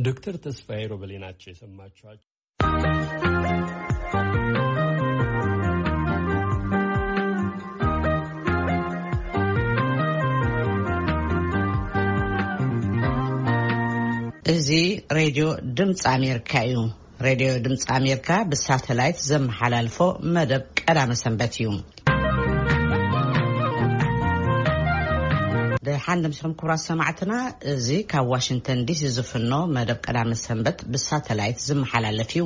ዶክተር ተስፋዬ ሮበሌ ናቸው የሰማችኋቸው። እዚ ሬድዮ ድምፂ ኣሜሪካ እዩ። ሬድዮ ድምፂ ኣሜሪካ ብሳተላይት ዘመሓላልፎ መደብ ቀዳመ ሰንበት እዩ። ደሓን ደምሲኹም ክቡራት ሰማዕትና፣ እዚ ካብ ዋሽንግተን ዲሲ ዝፍኖ መደብ ቀዳመ ሰንበት ብሳተላይት ዝመሓላለፍ እዩ።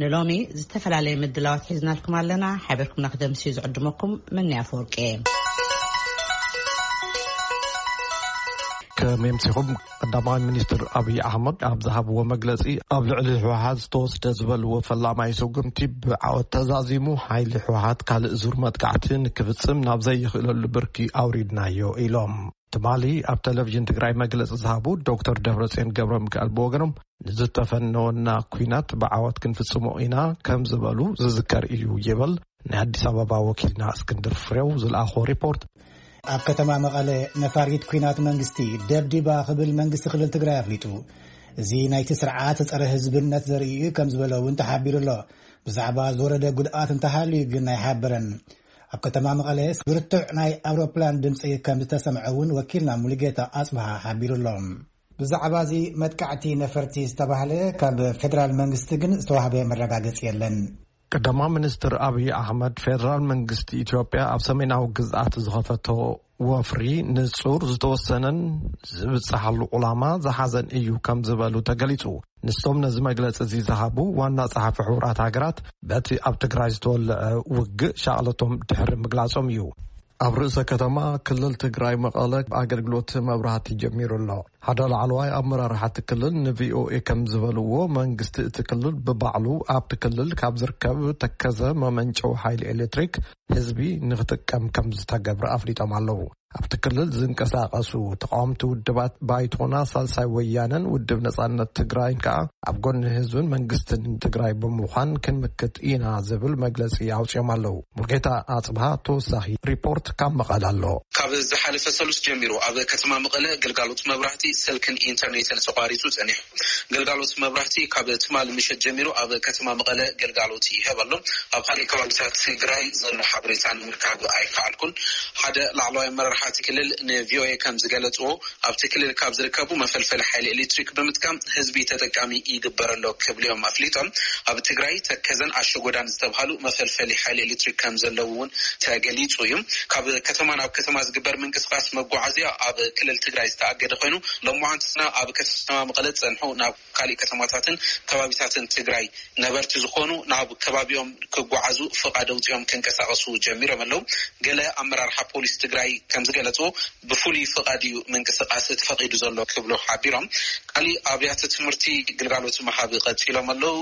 ንሎሚ ዝተፈላለየ ምድላዋት ሒዝናልኩም ኣለና። ሓቢርኩምና ክደምሲ ዝዕድመኩም መኒ ኣፈወርቂ እየ። ከመምሲኹም ቀዳማይ ሚኒስትር ኣብይ ኣሕመድ ኣብ ዝሃብዎ መግለጺ፣ ኣብ ልዕሊ ህወሓት ዝተወስደ ዝበልዎ ፈላማይ ስጉምቲ ብዓወት ተዛዚሙ፣ ሓይሊ ህወሓት ካልእ ዙር መጥቃዕቲ ንክፍጽም ናብ ዘይኽእለሉ ብርኪ ኣውሪድናዮ ኢሎም። ትማሊ ኣብ ቴሌቪዥን ትግራይ መግለጺ ዝሃቡ ዶክተር ደብረጽዮን ገብረ ሚካኤል ብወገኖም፣ ንዝተፈነወና ኲናት ብዓወት ክንፍጽሞ ኢና ከም ዝበሉ ዝዝከር እዩ ይብል ናይ ኣዲስ ኣበባ ወኪልና እስክንድር ፍሬው ዝለኣኾ ሪፖርት። ኣብ ከተማ መቐለ ነፋሪት ኲናት መንግስቲ ደብዲባ ክብል መንግስቲ ክልል ትግራይ ኣፍሊጡ። እዚ ናይቲ ስርዓት ጸረ ህዝብነት ዘርኢ እዩ ከም ዝበለ እውን ተሓቢሩ ኣሎ። ብዛዕባ ዝወረደ ጉድኣት እንተሃልዩ ግን ኣይሓበረን። ኣብ ከተማ መቐለ ብርቱዕ ናይ ኣውሮፕላን ድምፂ ከም ዝተሰምዐ እውን ወኪልና ሙሉጌታ ኣጽብሃ ሓቢሩ ኣሎ። ብዛዕባ እዚ መጥቃዕቲ ነፈርቲ ዝተባህለ ካብ ፌደራል መንግስቲ ግን ዝተዋህበ መረጋገፂ የለን። ቀዳማይ ሚኒስትር ኣብይ ኣሕመድ፣ ፌደራል መንግስቲ ኢትዮጵያ ኣብ ሰሜናዊ ግዝኣት ዝኸፈቶ ወፍሪ ንጹር፣ ዝተወሰነን ዝብጽሓሉ ዕላማ ዝሓዘን እዩ ከም ዝበሉ ተገሊጹ። ንሶም ነዚ መግለጺ እዚ ዝሃቡ ዋና ጸሓፊ ሕቡራት ሃገራት፣ በቲ ኣብ ትግራይ ዝተወልዐ ውግእ ሻቕለቶም ድሕሪ ምግላጾም እዩ። ኣብ ርእሰ ከተማ ክልል ትግራይ መቐለ ኣገልግሎት መብራህቲ ጀሚሩ ኣሎ። ሓደ ላዕለዋይ ኣመራርሓ እቲ ክልል ንቪኦኤ ከም ዝበልዎ፣ መንግስቲ እቲ ክልል ብባዕሉ ኣብቲ ክልል ካብ ዝርከብ ተከዘ መመንጨዊ ሓይሊ ኤሌክትሪክ ህዝቢ ንክጥቀም ከም ዝተገብረ ኣፍሊጦም ኣለዉ። ኣብቲ ክልል ዝንቀሳቐሱ ተቃወምቲ ውድባት ባይቶና፣ ሳልሳይ ወያነን ውድብ ነጻነት ትግራይን ከኣ ኣብ ጎኒ ህዝብን መንግስትን ትግራይ ብምዃን ክንምክት ኢና ዝብል መግለጺ ኣውጺኦም ኣለዉ። ሙልጌታ ኣጽብሃ ተወሳኺ ሪፖርት ካብ መቐለ ኣሎ። ካብ ዝሓለፈ ሰሉስ ጀሚሩ ኣብ ከተማ መቐለ ግልጋሎት መብራህቲ፣ ስልክን ኢንተርኔትን ተቋሪጹ ጸኒሑ። ግልጋሎት መብራህቲ ካብ ትማሊ ምሸት ጀሚሩ ኣብ ከተማ መቐለ ግልጋሎት ይህብ ኣሎ። ኣብ ካልእ ከባቢታት ትግራይ ዘሎ ሓበሬታ ንምርካብ ኣይከኣልኩን። ሓደ ላዕለዋይ ኣመራርሓ እቲ ክልል ንቪኦኤ ከም ዝገለጽዎ፣ ኣብቲ ክልል ካብ ዝርከቡ መፈልፈሊ ሓይሊ ኤሌክትሪክ ብምጥቃም ህዝቢ ተጠቃሚ ይግበር ኣሎ ክብሉ እዮም ኣፍሊጦም። ኣብ ትግራይ ተከዘን ኣሸጎዳን ዝተብሃሉ መፈልፈሊ ሓይሊ ኤሌክትሪክ ከም ዘለዉ እውን ተገሊጹ እዩ። ካብ ከተማ ናብ ከተማ ዝግበር ምንቅስቃስ መጓዓዝያ ኣብ ክልል ትግራይ ዝተኣገደ ኮይኑ፣ ሎማዓንቲ ግና ኣብ ከተማ መቐለ ጸንሑ ናብ ካልእ ከተማታትን ከባቢታትን ትግራይ ነበርቲ ዝኾኑ ናብ ከባቢኦም ክጓዓዙ ፍቓድ ኣውጺኦም ክንቀሳቐሱ ጀሚሮም ኣለዉ። ገለ ኣመራርሓ ፖሊስ ትግራይ ከም ዝገለጽዎ፣ ብፍሉይ ፍቓድ እዩ ምንቅስቓስ ተፈቒዱ ዘሎ ክብሉ ሓቢሮም። ካልእ ኣብያተ ትምህርቲ ግልጋሎት ምሃብ ቀጺሎም ኣለዉ።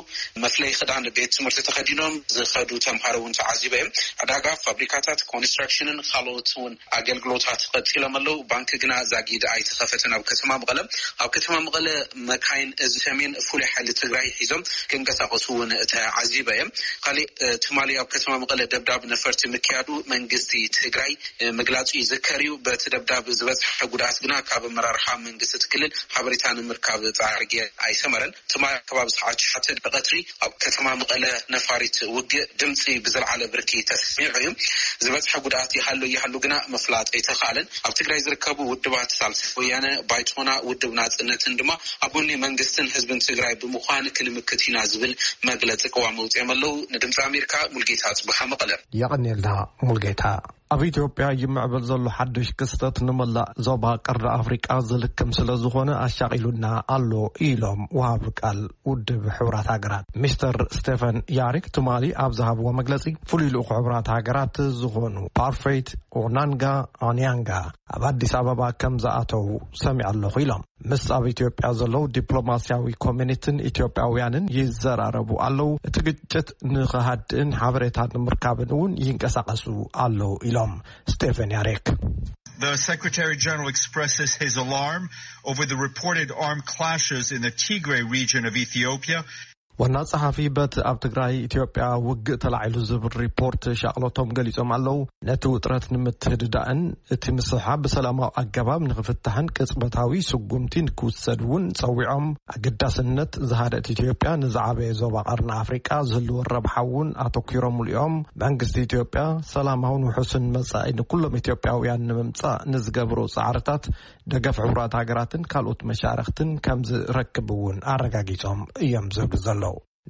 መፍለይ ክዳን ቤት ትምህርቲ ተኸዲኖም ዝኸዱ ተምሃሮ እውን ተዓዚበ እዮም። ዕዳጋ፣ ፋብሪካታት፣ ኮንስትራክሽንን ካልኦት እውን ኣገልግሎታት ቀጺሎም ኣለዉ። ባንክ ግና ዛጊድ ኣይተኸፈተን ኣብ ከተማ መቐለ። ኣብ ከተማ መቐለ መካይን እዚ ሰሜን ፍሉይ ሓይሊ ትግራይ ሒዞም ክንቀሳቐሱ እውን ተዓዚበ እዮም። ካልእ፣ እ፣ ትማሊ ኣብ ከተማ መቐለ ደብዳብ ነፈርቲ ምክያዱ መንግስቲ ትግራይ፣ እ፣ ምግላጹ ይዝከር እዩ። በቲ ደብዳብ ዝበጽሐ ጉድኣት ግና ካብ ኣመራርሓ መንግስቲ እቲ ክልል ሓበሬታ ንምርካብ ጻዕሪ ጌር ኣይሰመረን። ትማሊ ከባቢ ሰዓት ሸውዓተ ቀትሪ ኣብ ከተማ መቐለ ነፋሪት ውግእ ድምፂ ብዝለዓለ ብርኪ ተሰሚዑ እዩ። ዝበፅሐ ጉድኣት ይሃሉ ይሃሉ ግና ምፍላጥ ኣይተኻእለን። ኣብ ትግራይ ዝርከቡ ውድባት ሳልሳይ ወያነ፣ ባይቶና፣ ውድብ ናፅነትን ድማ ኣብ ጎኒ መንግስትን ህዝብን ትግራይ ብምዃን ክንምክት ኢና ዝብል መግለፂ ቅዋም ኣውፂኦም ኣለዉ። ንድምፂ ኣሜሪካ ሙልጌታ ኣፅብሃ መቐለ። የቐንየልና ሙልጌታ። ኣብ ኢትዮጵያ ይምዕብል ዘሎ ሓድሽ ክስተት ንመላእ ዞባ ቀርኒ ኣፍሪቃ ዝልክም ስለ ዝኾነ ኣሻቒሉና ኣሎ ኢሎም ወሃቢ ቃል ውድብ ሕቡራት ሃገራት ሚስተር ስቴፈን ያሪክ ትማሊ ኣብ ዝሃብዎ መግለጺ፣ ፍሉይ ልኡኽ ሕቡራት ሃገራት ዝኾኑ ፓርፌት ኦናንጋ ኦንያንጋ ኣብ ኣዲስ ኣበባ ከም ዝኣተዉ ሰሚዐ ኣለኹ ኢሎም። ምስ ኣብ ኢትዮጵያ ዘለዉ ዲፕሎማስያዊ ኮሚኒቲን ኢትዮጵያውያንን ይዘራረቡ ኣለዉ። እቲ ግጭት ንኽሃድእን ሓበሬታ ንምርካብን እውን ይንቀሳቐሱ ኣለዉ ኢሎም ስቴፈን ያሬክ። The Secretary General expresses his alarm over the reported armed clashes in the Tigray region of Ethiopia. ዋና ጸሓፊ በቲ ኣብ ትግራይ ኢትዮጵያ ውግእ ተላዒሉ ዝብል ሪፖርት ሻቕሎቶም ገሊጾም ኣለዉ። ነቲ ውጥረት ንምትህድዳእን እቲ ምስሕሓብ ብሰላማዊ ኣገባብ ንኽፍታሕን ቅጽበታዊ ስጉምቲ ንክውሰድ እውን ጸዊዖም። ኣገዳስነት ዝሃደት ኢትዮጵያ ንዝዓበየ ዞባ ቀርኒ ኣፍሪቃ ዝህልዎ ረብሓ እውን ኣተኲሮምሉ እዮም። መንግስቲ ኢትዮጵያ ሰላማውን ውሑስን መጻኢ ንኩሎም ኢትዮጵያውያን ንምምጻእ ንዝገብሮ ጻዕርታት ደገፍ ሕቡራት ሃገራትን ካልኦት መሻርኽትን ከም ዝረክብ እውን ኣረጋጊጾም እዮም ዝብሉ ዘለዉ።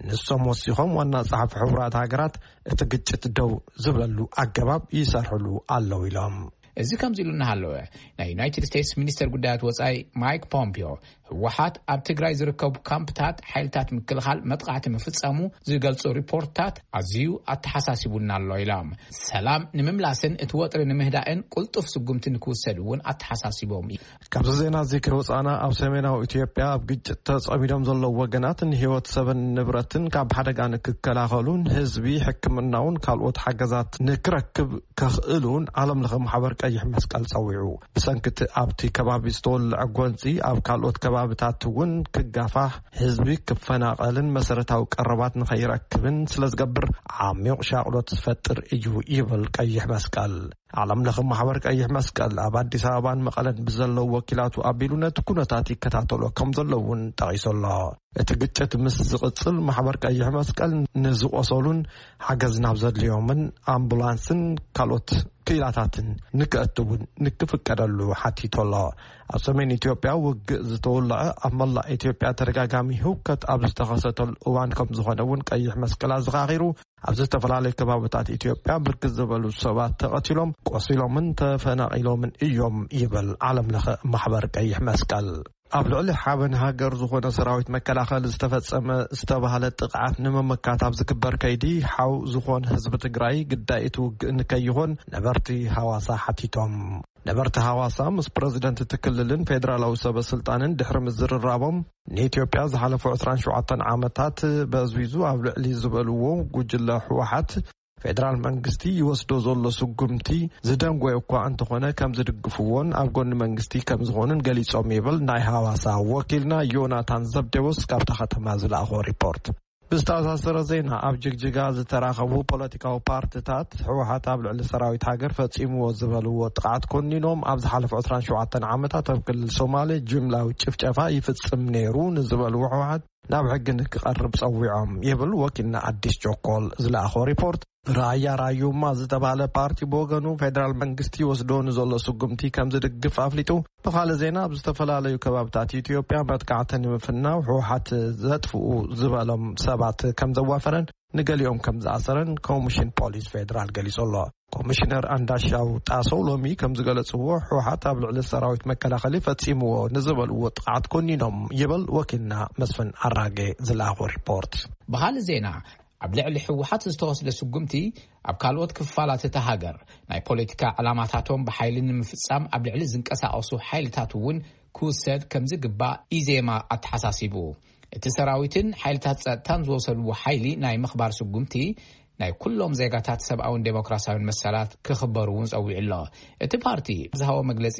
ንሶም ወሲኾም ዋና ጸሓፊ ሕቡራት ሃገራት እቲ ግጭት ደው ዝብለሉ ኣገባብ ይሰርሕሉ ኣለዉ ኢሎም። እዚ ከምዚ ኢሉ እናሃለወ፣ ናይ ዩናይትድ ስቴትስ ሚኒስተር ጉዳያት ወጻኢ ማይክ ፖምፒዮ፣ ህወሓት ኣብ ትግራይ ዝርከቡ ካምፕታት ሓይልታት ምክልኻል መጥቃዕቲ ምፍጻሙ ዝገልጹ ሪፖርትታት ኣዝዩ ኣተሓሳሲቡና ኣሎ ኢሎም። ሰላም ንምምላስን እቲ ወጥሪ ንምህዳእን ቁልጡፍ ስጉምቲ ንክውሰድ እውን ኣተሓሳሲቦም እዩ። ካብዚ ዜና እዚ ከይወጻና፣ ኣብ ሰሜናዊ ኢትዮጵያ ኣብ ግጭት ተጸሚዶም ዘለዉ ወገናት ንህይወት ሰብን ንብረትን ካብ ሓደጋ ንክከላኸሉን ህዝቢ ሕክምናውን ካልኦት ሓገዛት ንክረክብ ከኽእሉን ዓለም ለኸ ማሕበር ቀይሕ መስቀል ጸዊዑ። ብሰንኪ እቲ ኣብቲ ከባቢ ዝተወልዐ ጎንጺ ኣብ ካልኦት ከባብታት እውን ክጋፋሕ፣ ህዝቢ ክፈናቐልን መሰረታዊ ቀረባት ንኸይረክብን ስለ ዝገብር ዓሚቕ ሻቕሎት ዝፈጥር እዩ ይብል ቀይሕ መስቀል። ዓለም ለኸ ማሕበር ቀይሕ መስቀል ኣብ ኣዲስ ኣበባን መቐለን ብዘለዉ ወኪላቱ ኣቢሉ ነቲ ኩነታት ይከታተሎ ከም ዘሎ እውን ጠቒሱ ኣሎ። እቲ ግጭት ምስ ዝቕጽል ማሕበር ቀይሕ መስቀል ንዝቖሰሉን ሓገዝ ናብ ዘድልዮምን ኣምቡላንስን ካልኦት ክኢላታትን ንክእትውን ንክፍቀደሉ ሓቲቱ ኣሎ። ኣብ ሰሜን ኢትዮጵያ ውግእ ዝተወልዐ ኣብ መላእ ኢትዮጵያ ተደጋጋሚ ህውከት ኣብ ዝተኸሰተሉ እዋን ከም ዝኾነ እውን ቀይሕ መስቀል ኣዘኻኺሩ፣ ኣብ ዝተፈላለዩ ከባብታት ኢትዮጵያ ብርክት ዝበሉ ሰባት ተቐቲሎም፣ ቆሲሎምን ተፈናቒሎምን እዮም ይብል ዓለም ለኸ ማሕበር ቀይሕ መስቀል። ኣብ ልዕሊ ሓበን ሃገር ዝኾነ ሰራዊት መከላኸሊ ዝተፈጸመ ዝተባህለ ጥቕዓት ንምምካት ኣብ ዝግበር ከይዲ ሓው ዝኾነ ህዝቢ ትግራይ ግዳይ እቲ ውግእ ንከይኾን ነበርቲ ሃዋሳ ሓቲቶም። ነበርቲ ሃዋሳ ምስ ፕረዚደንት እቲ ክልልን ፌደራላዊ ሰበ ስልጣንን ድሕሪ ምዝርራቦም፣ ንኢትዮጵያ ዝሓለፉ ዕስራን ሸውዓተን ዓመታት በዝቢዙ ኣብ ልዕሊ ዝበልዎ ጉጅለ ህወሓት ፌደራል መንግስቲ ይወስዶ ዘሎ ስጉምቲ ዝደንጎየ እኳ እንተኾነ ከም ዝድግፍዎን ኣብ ጎኒ መንግስቲ ከም ዝኾኑን ገሊጾም ይብል ናይ ሃዋሳ ወኪልና ዮናታን ዘብዴዎስ ካብታ ከተማ ዝለኣኾ ሪፖርት። ብዝተኣሳሰረ ዜና፣ ኣብ ጅግጅጋ ዝተራኸቡ ፖለቲካዊ ፓርትታት ህወሓት ኣብ ልዕሊ ሰራዊት ሃገር ፈጺምዎ ዝበልዎ ጥቕዓት ኮኒኖም፣ ኣብ ዝሓለፉ ዕስራን ሸውዓተን ዓመታት ኣብ ክልል ሶማሌ ጅምላዊ ጭፍጨፋ ይፍጽም ነይሩ ንዝበልዎ ህወሓት ናብ ሕጊ ንክቐርብ ጸዊዖም ይብል ወኪልና ኣዲስ ቸኮል ዝለኣኾ ሪፖርት። ራያ ራዩማ ዝተባህለ ፓርቲ ብወገኑ ፌደራል መንግስቲ ይወስዶ ንዘሎ ስጉምቲ ከም ዝድግፍ ኣፍሊጡ። ብኻልእ ዜና፣ ኣብ ዝተፈላለዩ ከባብታት ኢትዮጵያ መጥቃዕቲ ንምፍናው ህወሓት ዘጥፍኡ ዝበሎም ሰባት ከም ዘዋፈረን ንገሊኦም ከም ዝኣሰረን ኮሚሽን ፖሊስ ፌደራል ገሊጹ ኣሎ። ኮሚሽነር ኣንዳሻው ጣሰው ሎሚ ከም ዝገለጽዎ፣ ህወሓት ኣብ ልዕሊ ሰራዊት መከላኸሊ ፈጺምዎ ንዝበልዎ ጥቕዓት ኮኒኖም ይብል ወኪልና መስፍን ኣራጌ ዝለኣኾ ሪፖርት። ብኻልእ ዜና፣ ኣብ ልዕሊ ህወሓት ዝተወስደ ስጉምቲ ኣብ ካልኦት ክፋላት እታ ሃገር ናይ ፖለቲካ ዕላማታቶም ብሓይሊ ንምፍጻም ኣብ ልዕሊ ዝንቀሳቐሱ ሓይልታት እውን ክውሰድ ከም ዝግባእ ኢዜማ ኣተሓሳሲቡ። እቲ ሰራዊትን ሓይልታት ጸጥታን ዝወሰድዎ ሓይሊ ናይ ምኽባር ስጉምቲ ናይ ኩሎም ዜጋታት ሰብኣውን ዴሞክራሲያውን መሰላት ክኽበሩ እውን ጸዊዑ ኣሎ። እቲ ፓርቲ ዝሃቦ መግለጺ፣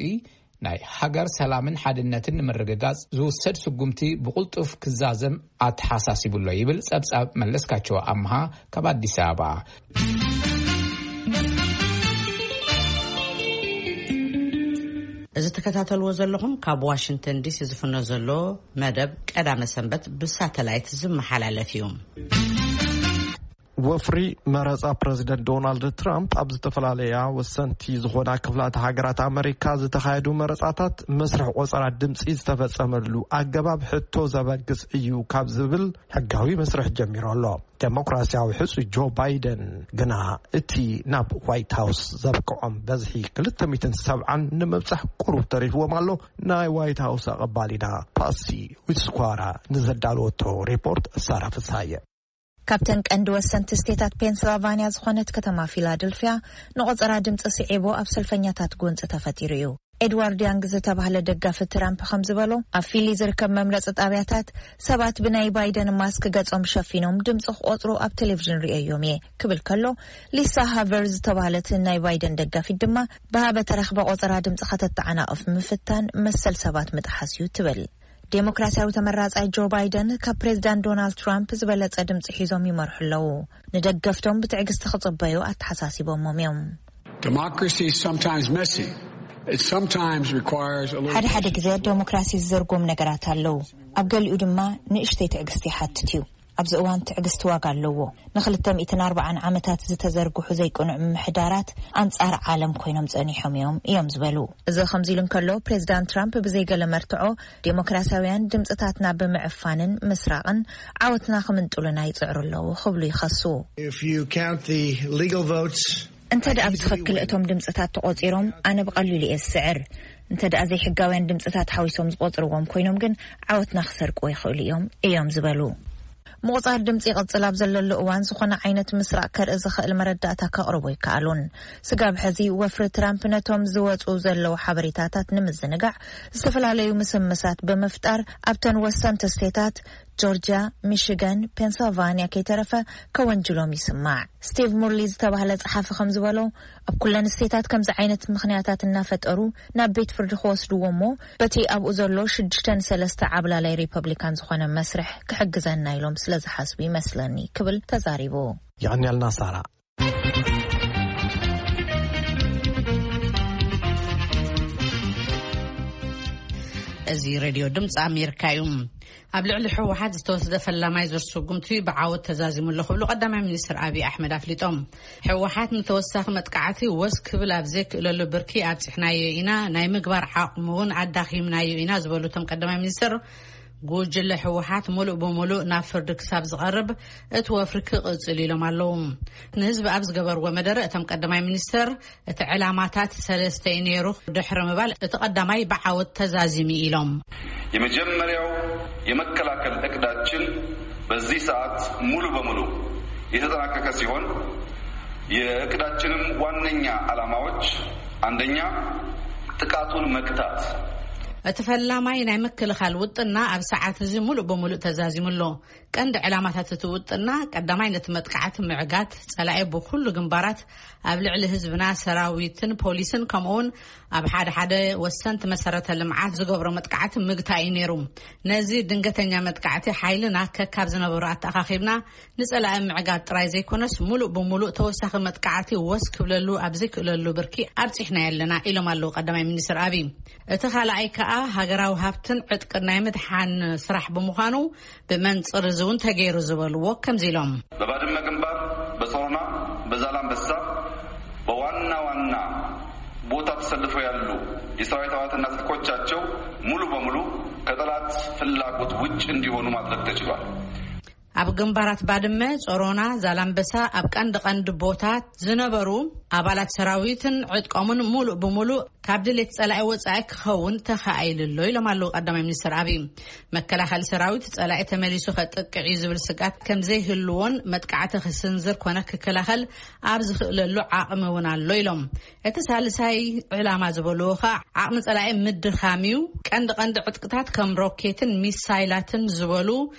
ናይ ሃገር ሰላምን ሓድነትን ንምርግጋጽ ዝውሰድ ስጉምቲ ብቕልጡፍ ክዛዘም ኣተሓሳሲቡ ኣሎ ይብል ጸብጻብ መለስካቸው ኣምሃ ካብ ኣዲስ ኣበባ። እዚ ትከታተልዎ ዘለኹም ካብ ዋሽንግተን ዲሲ ዝፍኖ ዘሎ መደብ ቀዳመ ሰንበት ብሳተላይት ዝመሓላለፍ እዩ። ወፍሪ መረጻ ፕረዚደንት ዶናልድ ትራምፕ ኣብ ዝተፈላለያ ወሰንቲ ዝኾና ክፍላተ ሃገራት ኣመሪካ ዝተኻየዱ መረጻታት መስርሕ ቆጸራ ድምጺ ዝተፈጸመሉ ኣገባብ ሕቶ ዘበግስ እዩ ካብ ዝብል ሕጋዊ መስርሕ ጀሚሩ ኣሎ። ዴሞክራሲያዊ ሕጹ ጆ ባይደን ግና እቲ ናብ ዋይት ሃውስ ዘብቅዖም በዝሒ ክልተ ሚእትን ሰብዓን ንምብጻሕ ቁሩብ ተሪፍዎም ኣሎ። ናይ ዋይት ሃውስ ኣቐባሊና ፓሲ ዊትስኳራ ንዘዳለወቶ ሪፖርት ሳራ ፍሳየ። ካብተን ቀንዲ ወሰንቲ ስቴታት ፔንስልቫንያ ዝኾነት ከተማ ፊላደልፊያ ንቆጸራ ድምፂ ስዒቡ ኣብ ሰልፈኛታት ጎንፂ ተፈጢሩ እዩ። ኤድዋርድ ያንግ ዝተባህለ ደጋፊ ትራምፕ ከም ዝበሎ፣ ኣብ ፊሊ ዝርከብ መምረፂ ጣብያታት ሰባት ብናይ ባይደን ማስክ ገጾም ሸፊኖም ድምፂ ክቆፅሩ ኣብ ቴሌቪዥን ርእየዮም እየ ክብል ከሎ፣ ሊሳ ሃቨር ዝተባህለት ናይ ባይደን ደጋፊት ድማ ብሃበ ተረኽበ ቆጸራ ድምፂ ከተተዓናቕፍ ምፍታን መሰል ሰባት ምጥሓስ እዩ ትብል። ዴሞክራሲያዊ ተመራጻይ ጆ ባይደን ካብ ፕሬዝዳንት ዶናልድ ትራምፕ ዝበለጸ ድምጺ ሒዞም ይመርሑ ኣለዉ። ንደገፍቶም ብትዕግስቲ ክጽበዩ ኣተሓሳሲቦሞም እዮም። Democracy is sometimes messy. It sometimes requires a little ሓደ ሓደ ግዜ ዴሞክራሲ ዝዘርጎም ነገራት ኣለዉ። ኣብ ገሊኡ ድማ ንእሽተይ ትዕግስቲ ይሓትት እዩ። ኣብዚ እዋን ትዕግስቲ ዋጋ ኣለዎ። ንክልተ ሚእትን ኣርባዓን ዓመታት ዝተዘርግሑ ዘይቅኑዕ ምምሕዳራት ኣንጻር ዓለም ኮይኖም ጸኒሖም እዮም እዮም ዝበሉ። እዚ ከምዚ ኢሉ እንከሎ፣ ፕሬዝዳንት ትራምፕ ብዘይገለ መርትዖ ዴሞክራሲያውያን ድምጽታትና ብምዕፋንን ምስራቕን ዓወትና ክምንጥሉና ይጽዕሩ ኣለዉ ክብሉ ይኸሱ። If you count the legal votes, እንተ ደኣ ብትኽክል እቶም ድምጽታት ተቖጺሮም፣ ኣነ ብቐሊሉ እየ ዝስዕር። እንተ ደኣ ዘይሕጋውያን ድምጽታት ሓዊሶም ዝቖጽርዎም ኮይኖም ግን፣ ዓወትና ክሰርቁ ይኽእሉ እዮም እዮም ዝበሉ። ምቑጻር ድምጺ ይቕጽል ኣብ ዘለሉ እዋን፣ ዝኾነ ዓይነት ምስራቕ ከርኢ ዝኽእል መረዳእታ ከቕርቡ ኣይከኣሉን። ስጋብ ሕዚ፣ ወፍሪ ትራምፕ ነቶም ዝወጹ ዘለዉ ሓበሬታታት ንምዝንጋዕ ዝተፈላለዩ ምስምሳት ብምፍጣር፣ ኣብተን ወሰንቲ ስቴታት ጆርጅያ፣ ሚሽጋን፣ ፔንስልቫንያ ከይተረፈ ከወንጅሎም ይስማዕ። ስቲቭ ሙርሊ ዝተባህለ ጸሓፊ ከም ዝበሎ፣ ኣብ ኩለን ስቴታት ከምዚ ዓይነት ምኽንያታት እናፈጠሩ ናብ ቤት ፍርዲ ክወስድዎ እሞ፣ በቲ ኣብኡ ዘሎ ሽዱሽተ ንሰለስተ ዓብላላይ ሪፐብሊካን ዝኾነ መስርሕ ክሕግዘና ኢሎም ስለ ዝሓስቡ ይመስለኒ ክብል ተዛሪቡ። የቐንያልና ሳራ። እዚ ሬድዮ ድምፂ ኣሜሪካ እዩ። ኣብ ልዕሊ ህወሓት ዝተወስደ ፈላማይ ዙር ስጉምቲ ብዓወት ተዛዚሙ ኣሎ ክብሉ ቀዳማይ ሚኒስትር ኣብይ ኣሕመድ ኣፍሊጦም። ህወሓት ንተወሳኺ መጥቃዕቲ ወስ ክብል ኣብ ዘይክእለሉ ብርኪ ኣብፂሕናዮ ኢና፣ ናይ ምግባር ዓቕሙ እውን ኣዳኺምናዮ ኢና ዝበሉ እቶም ቀዳማይ ሚኒስትር፣ ጉጅለ ህወሓት ሙሉእ ብሙሉእ ናብ ፍርዲ ክሳብ ዝቐርብ እቲ ወፍሪ ክቕፅል ኢሎም ኣለዉ። ንህዝቢ ኣብ ዝገበርዎ መደረ እቶም ቀዳማይ ሚኒስትር፣ እቲ ዕላማታት ሰለስተ እዩ ነይሩ ድሕሪ ምባል፣ እቲ ቀዳማይ ብዓወት ተዛዚሙ ኢሎም። የመጀመሪያው የመከላከል እቅዳችን በዚህ ሰዓት ሙሉ በሙሉ የተጠናቀቀ ሲሆን፣ የእቅዳችንም ዋነኛ ዓላማዎች አንደኛ ጥቃቱን መግታት። እቲ ፈላማይ ናይ ምክልኻል ውጥና ኣብ ሰዓት እዚ ሙሉእ ብሙሉእ ተዛዚሙ ኣሎ። ቀንዲ ዕላማታት እቲ ውጥና፣ ቀዳማይ ነቲ መጥቃዕቲ ምዕጋት፣ ጸላኢ ብኹሉ ግንባራት ኣብ ልዕሊ ህዝብና፣ ሰራዊትን ፖሊስን፣ ከምኡውን ኣብ ሓደ ሓደ ወሰንቲ መሰረተ ልምዓት ዝገብሮ መጥቃዕቲ ምግታእ እዩ ነይሩ። ነዚ ድንገተኛ መጥቃዕቲ ሓይልና ከካብ ዝነበሮ ኣተኣኻኺብና ንጸላኢ ምዕጋት ጥራይ ዘይኮነስ፣ ሙሉእ ብሙሉእ ተወሳኺ መጥቃዕቲ ወስ ክብለሉ ኣብ ዘይክእለሉ ብርኪ ኣብጺሕና ኣለና ኢሎም ኣለዉ ቀዳማይ ሚኒስትር ኣብይ። እቲ ካልኣይ ከኣ ሃገራዊ ሃብትን ዕጥቅን ናይ ምድሓን ስራሕ ብምዃኑ፣ ብመንጽር እዚ እውን ተገይሩ ዝበልዎ ከምዚ ኢሎም። በባድመ ግንባር፣ በጾሮና፣ በዛላምበሳ፣ በዋና ዋና ቦታ ተሰልፈው ያሉ የሰራዊት አባላትና ትጥቆቻቸው ሙሉ በሙሉ ከጠላት ፍላጎት ውጭ እንዲሆኑ ማድረግ ተችሏል። ኣብ ግንባራት ባድመ፣ ጾሮና፣ ዛላምበሳ፣ ኣብ ቀንዲ ቀንዲ ቦታት ዝነበሩ ኣባላት ሰራዊትን ዕጥቆምን ሙሉእ ብሙሉእ ካብ ድሌት ጸላኢ ወጻኢ ክኸውን ተኻኢሉ ኣሎ ኢሎም ኣለዉ ቀዳማይ ሚኒስትር ኣብይ። መከላኸሊ ሰራዊት ጸላኢ ተመሊሱ ከጥቅዕ እዩ ዝብል ስግኣት ከም ዘይህልዎን መጥቃዕቲ ክስንዝር ኮነ ክከላኸል ኣብ ዝኽእለሉ ዓቕሚ እውን ኣሎ ኢሎም። እቲ ሳልሳይ ዕላማ ዝበልዎ ኸኣ ዓቕሚ ጸላኢ ምድኻም እዩ። ቀንዲ ቀንዲ ዕጥቅታት ከም ሮኬትን ሚሳይላትን ዝበሉ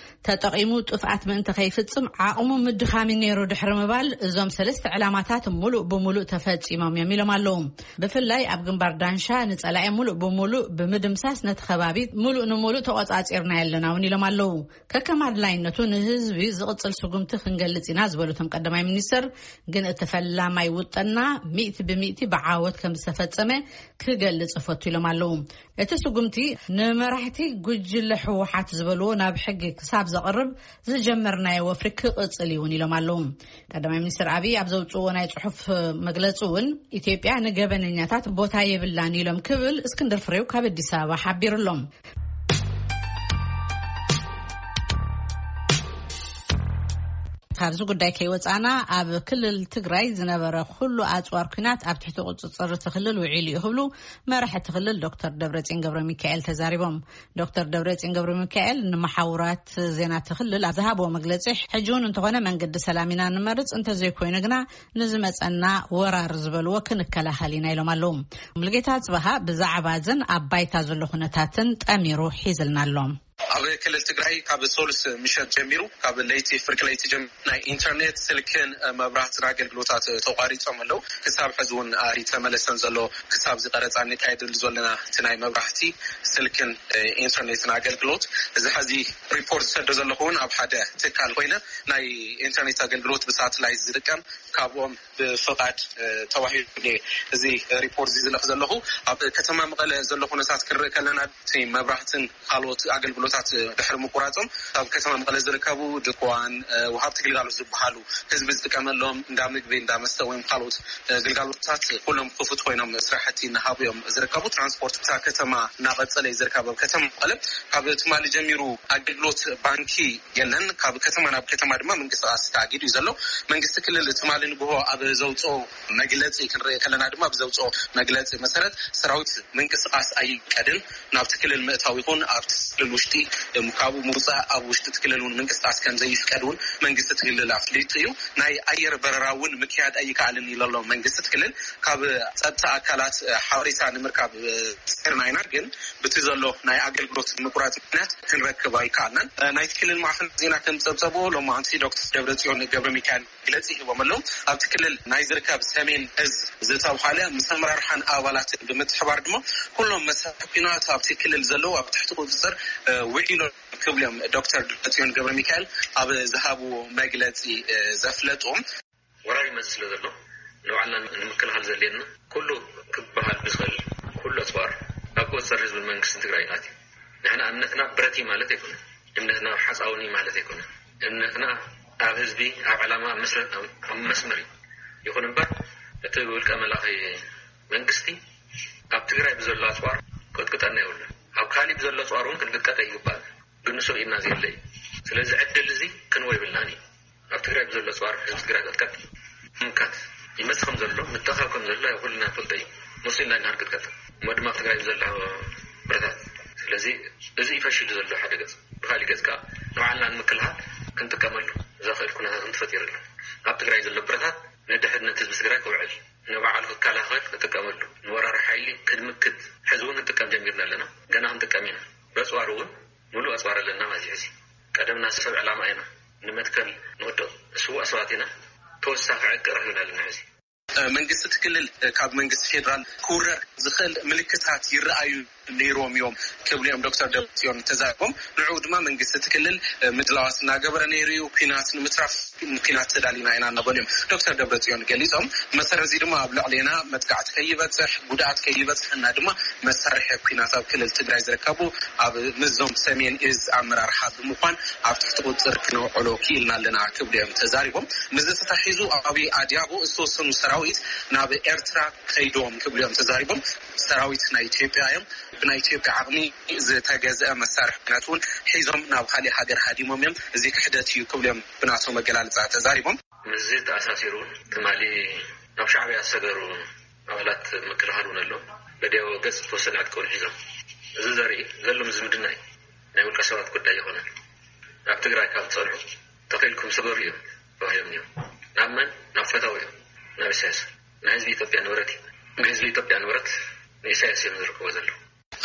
ተጠቒሙ ጥፍኣት ምእንቲ ከይፍጽም ዓቕሙ ምድኻም እዩ ነይሩ ድሕሪ ምባል፣ እዞም ሰለስተ ዕላማታት ሙሉእ ብሙሉእ ተፈጺሞም እዮም ኢሎም ኣለዉ። ብፍላይ ኣብ ግንባር ዳንሻ ንጸላኢ ሙሉእ ብሙሉእ ብምድምሳስ ነቲ ከባቢ ሙሉእ ንሙሉእ ተቖጻጺርና ኣለና እውን ኢሎም ኣለዉ። ከከም ኣድላይነቱ ንህዝቢ ዝቕጽል ስጉምቲ ክንገልጽ ኢና ዝበሉ እቶም ቀዳማይ ሚኒስትር፣ ግን እቲ ፈላማይ ውጥና ሚእቲ ብሚእቲ ብዓወት ከም ዝተፈጸመ ክገልጽ እፈቱ ኢሎም ኣለዉ። እቲ ስጉምቲ ንመራሕቲ ጉጅለ ህወሓት ዝበልዎ ናብ ሕጊ ክሳብ ዘቕርብ ዝጀመርናዮ ወፍሪ ክቕጽል እዩ እውን ኢሎም ኣለዉ። ቀዳማይ ሚኒስትር ኣብይ ኣብ ዘውፅዎ ናይ ጽሑፍ መግለጺ እውን፣ ኢትዮጵያ ንገበነኛታት ቦታ የብላን ኢሎም ክብል እስክንድር ፍሬው ካብ ኣዲስ ኣበባ ሓቢሩ ኣሎ። ካብዚ ጉዳይ ከይወጻና፣ ኣብ ክልል ትግራይ ዝነበረ ኩሉ ኣጽዋር ኲናት ኣብ ትሕቲ ቁጽጽር እቲ ክልል ውዒሉ እዩ ክብሉ መራሒ እቲ ክልል ዶክተር ደብረጽዮን ገብረ ሚካኤል ተዛሪቦም። ዶክተር ደብረጽዮን ገብረ ሚካኤል ንመሓውራት ዜና እቲ ክልል ኣብ ዝሃብዎ መግለጺ፣ ሕጂ እውን እንተኾነ መንገዲ ሰላም ኢና ንመርጽ፣ እንተዘይኮይኑ ግና ንዝመጸና ወራር ዝበልዎ ክንከላኸል ኢና ኢሎም ኣለዉ። ሙሉጌታ ጽበሃ ብዛዕባ እዝን ኣብ ባይታ ዘሎ ኩነታትን ጠሚሩ ሒዝልና ኣሎ። ኣብ ክልል ትግራይ ካብ ሶሉስ ምሸት ጀሚሩ፣ ካብ ለይቲ፣ ፍርቂ ለይቲ ጀሚሩ ናይ ኢንተርኔት፣ ስልክን መብራህትን ኣገልግሎታት ተቋሪጾም ኣለዉ። ክሳብ ሕዚ እውን ኣይተመለሰን ዘሎ። ክሳብ እዚ ቀረፃ እንካየደሉ ዘለና እቲ ናይ መብራህቲ፣ ስልክን ኢንተርኔትን ኣገልግሎት፣ እዚ ሕዚ ሪፖርት ዝሰዶ ዘለኹ እውን ኣብ ሓደ ትካል ኮይነ፣ ናይ ኢንተርኔት ኣገልግሎት ብሳተላይት ዝጥቀም ካብኦም ብፍቓድ ተዋሂቡ። እዚ ሪፖርት እዚ ዝለኽ ዘለኹ ኣብ ከተማ መቐለ ዘሎ ኩነታት ክንርኢ ከለና፣ እቲ መብራህትን ካልኦት ኣገልግሎታት ድሕሪ ምቁራጾም፣ ኣብ ከተማ መቐለ ዝርከቡ ድኳን፣ ወሃብቲ ግልጋሎት ዝበሃሉ፣ ህዝቢ ዝጥቀመሎም እንዳ ምግቢ፣ እንዳ መስተ ወይም ካልኦት ግልጋሎታት ኩሎም ክፉት ኮይኖም ስራሕቲ እናሃቡ እዮም ዝርከቡ። ትራንስፖርት እታ ከተማ እናቐጸለ እዩ ዝርከብ። ኣብ ከተማ መቐለ ካብ ትማሊ ጀሚሩ ኣገልግሎት ባንኪ የለን። ካብ ከተማ ናብ ከተማ ድማ ምንቅስቃስ ተኣጊዱ እዩ ዘሎ። መንግስቲ ክልል ትማሊ ንግሆ ኣብ ዘውፅኦ መግለፂ ክንርኢ ከለና ድማ፣ ኣብ ዘውፅኦ መግለፂ መሰረት፣ ሰራዊት ምንቅስቃስ ኣይቀድን፣ ናብቲ ክልል ምእታው ይኹን ኣብቲ ክልል ውሽጢ፣ እም፣ ካብኡ ምውፃእ፣ ኣብ ውሽጢ እቲ ክልል እውን ምንቅስቃስ ከም ዘይፍቀድ እውን መንግስቲ እቲ ክልል ኣፍሊጡ እዩ። ናይ ኣየር በረራ እውን ምክያድ ኣይከኣልን ኢሉ ኣሎ መንግስቲ እቲ ክልል። ካብ ጸጥታ ኣካላት ሓበሬታ ንምርካብ ጸርና ኢና፣ ግን ብቲ ዘሎ ናይ ኣገልግሎት ምቁራጽ ምክንያት ክንረክብ ኣይከኣልናን። ናይቲ ክልል ማዕኸን ዜና ከም ጸብጸቦ፣ ሎማዓንቲ ዶክተር ደብረጽዮን ገብረ ሚካኤል መግለጺ ሂቦም ኣለዉ። ኣብቲ ክልል ናይ ዝርከብ ሰሜን እዝ ዝተብሃለ ምስ ኣመራርሓን ኣባላትን ብምትሕባር ድማ፣ ኩሎም መሳርሒ ኲናት ኣብቲ ክልል ዘለዉ ኣብ ትሕቲ ቁጽጽር ውዒሎም ክብሉ እዮም ዶክተር ደብረጽዮን ገብረ ሚካኤል ኣብ ዝሃብዎ መግለጺ ዘፍለጡ። ወራር ይመጽእ ስለ ዘሎ፣ ንባዕልና ንምክልኻል ዘድልየና ኩሉ ክበሃል ብዝኽእል ኩሉ ኣጽዋር ኣብ ቁጽጽር ህዝብን መንግስትን ትግራይ ኣትዩ። ንሕና እምነትና ብረት እዩ ማለት ኣይኮነን። እምነትና ኣብ ሓፃውን እዩ ማለት ኣይኮነን። እምነትና ኣብ ህዝቢ፣ ኣብ ዕላማ፣ ኣብ መስረ-፣ ኣብ፣ ኣብ መስመር እዩ። ይኹን እምበር፣ እቲ ብውልቀ መላኺ መንግስቲ ኣብ ትግራይ ብዘሎ ኣፅዋር ቅጥቅጠና የብሉን። ኣብ ካሊእ ብዘሎ ኣፅዋር እውን ክንቅጥቀጥ ኣይግባእን። ግን ንሱ ርኢና ዘየለ እዩ። ስለዚ ዕድል እዚ ክንወ ይብልናን እዩ። ኣብ ትግራይ ብዘሎ ኣፅዋር ህዝቢ ትግራይ ቅጥቀጥ፣ ምምካት ይመፅእ ከም ዘሎ፣ ምትእኻብ ከም ዘሎ ኩልና ንፈልጦ እዩ። ንሱ ኢና ኢና ክንቅጥቀጥ። እሞ ድማ ኣብ ትግራይ ብዘሎ ብረታት። ስለዚ እዚ እዩ ፈሺሉ ዘሎ ሓደ ገፅ። ብካሊእ ገፅ ከዓ ንባዕልና ንምክልኻል ክንጥቀመሉ ዘኽእል ኩነታት እንተፈጢሩ ኣሎ። ኣብ ትግራይ ዘሎ ብረታት ንድሕነት ህዝቢ ትግራይ ክውዕል፣ ንባዕሉ ክከላኸል ክጥቀመሉ፣ ንወራሪ ሓይሊ ክድምክት፣ ሕዚ እውን ክንጥቀም ጀሚርና ኣለና። ገና ክንጥቀም ኢና። በፅዋር እውን ምሉእ ኣፅዋር ኣለና ማለት እዩ። ሕዚ ቀደምና ሰብ ዕላማ ኢና፣ ንመትከል ንወድቕ ስዋእ ሰባት ኢና። ተወሳኺ ዕጥቂ ረኺብና ኣለና። ሕዚ መንግስቲ እቲ ክልል ካብ መንግስቲ ፌዴራል ክውረር ዝኽእል ምልክታት ይረኣዩ ነይሮም እዮም ክብሉ እዮም ዶክተር ደብረጽዮን ተዛሪቦም። ንዕኡ ድማ መንግስቲ እቲ ክልል ምድላዋት እናገበረ ነይሩ እዩ። ኲናት ንምትራፍ ንኲናት ተዳሊና ኢና እናበሉ እዮም ዶክተር ደብረጽዮን ገሊጾም። መሰረት እዚ ድማ ኣብ ልዕሌና መጥቃዕቲ ከይበጽሕ፣ ጉድኣት ከይበጽሐና ድማ መሳርሒ ኲናት ኣብ ክልል ትግራይ ዝርከቡ ኣብ ምዞም ሰሜን እዝ ኣመራርሓ ብምዃን ኣብ ትሕቲ ቁፅፅር ክነውዕሎ ክኢልና ኣለና ክብሉ እዮም ተዛሪቦም። ምስዚ ተታሒዙ ኣብ ኣድያቦ ዝተወሰኑ ሰራዊት ናብ ኤርትራ ከይዶም ክብሉ እዮም ተዛሪቦም። ሰራዊት ናይ ኢትዮጵያ እዮም። ብናይ ኢትዮጵያ ዓቕሚ ዝተገዝአ መሳርሒ ኲናት እውን ሒዞም ናብ ካሊእ ሃገር ሃዲሞም እዮም። እዚ ክሕደት እዩ ክብሉ እዮም ብናቶም ኣገላልፃ ተዛሪቦም። ምስዚ ተኣሳሲሩ እውን ትማሊ ናብ ሻዕብያ ዝሰገሩ ኣባላት ምክልኻል እውን ኣሎ። በዲያዊ ገፅ ዝተወሰነ ዕጥቂ እውን ሒዞም። እዚ ዘርኢ ዘሎ ዝምድና እዩ። ናይ ውልቀ ሰባት ጉዳይ ይኾነን። ኣብ ትግራይ ካብ ዝፀንሑ ተኺልኩም ስገሩ እዮም ተባሂሎም እዮም። ናብ መን? ናብ ፈታዊ እዮም። ናብ ኢሳያስ። ናይ ህዝቢ ኢትዮጵያ ንብረት እዩ። ናይ ህዝቢ ኢትዮጵያ ንብረት ንኢሳያስ እዮም ዝርከቦ ዘለዉ።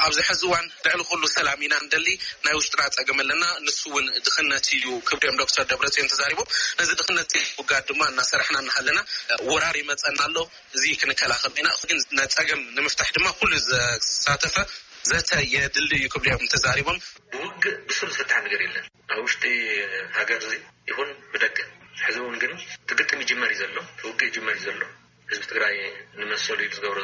ኣብዚ ሕዚ እዋን ልዕሊ ኩሉ ሰላም ኢና እንደሊ፣ ናይ ውሽጥና ፀገም ኣለና፣ ንሱ እውን ድኽነት እዩ ክብሉ እዮም ዶክተር ደብረፅዮን ተዛሪቦም። ነዚ ድኽነት ውጋድ ድማ እናሰራሕና እናሃለና ወራር ይመፀና ኣሎ። እዚ ክንከላኸል ኢና፣ ግን ነፀገም ንምፍታሕ ድማ ኩሉ ዘሳተፈ ዘተ የድሊ እዩ ክብሉ እዮም ተዛሪቦም። ብውግእ ብሱር ዝፍታሕ ነገር የለን። ኣብ ውሽጢ ሃገር እዚ ይኹን ብደገ። ሕዚ እውን ግን እቲ ግጥም ይጅመር እዩ ዘሎ፣ እቲ ውግእ ይጅመር እዩ ዘሎ። ህዝቢ ትግራይ ንመሰሉ ኢሉ ዝገብሮ